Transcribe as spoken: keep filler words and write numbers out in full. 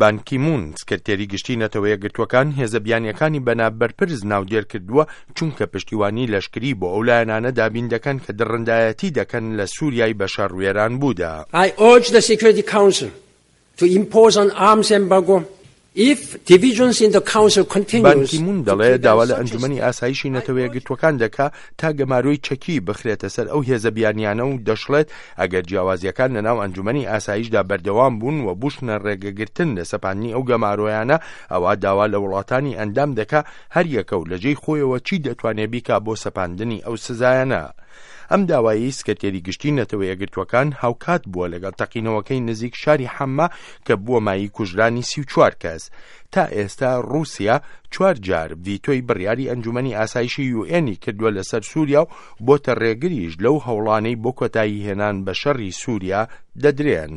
بان کی مون، سکرتێری گشتی نەتەوە یەکگرتووەکان، هێزە بیانیەکانی بە نابەرپرس ناودێر کردووە، چونکە پشتیوانی لەشکری بۆ ئەو لایەنانە دابین دەکەن کە دڕندایەتی دەکەن لە سووریای بە شەڕ وێران بوودا. I urge the Security Council to impose an arms embargo if divisions in the council بان continues کی مون to دەڵێ prevent داوا لە such a ئەنجومەنی step. ئاسایشی I نەتەوە urge یەکگرتووەکان دەکا تا گەمارۆی چەکی بخرێتە سەر ئەو هێزە بیانیانە و دەشڵێت ئەگەر جیاوازیەکان لەناو ئەنجومەنی ئاسایشدا بەردەوام بوون و بووشنە ڕێگەگرتن لە سەپاندنی ئەو گەمارۆیانە، ئەوە داوا لە وڵاتانی ئەندام دەکا هەر یەکە و لەجێی خۆیەوە چی دەتوانێت بیکا بۆ سەپاندنی ئەو سزایانە. ئەم داوایی سکرتێری گشتی نەتەوە یەکگرتووەکان هاوکات بووە لەگەڵ تەقینەوەکەی نزیک شاری حەمما کە بووە مایەی کوژرانی سی و چوار کەس. تا ئێستا ڕووسیا چوار جار ڤیتۆی بڕیاری ئەنجومەنی ئاسایشی یوئێنی کردووە لەسەر سووریا و بۆتە ڕێگریش لەو هەوڵانەی بۆ کۆتایی هێنان بە شەڕی سووریا دەدرێن.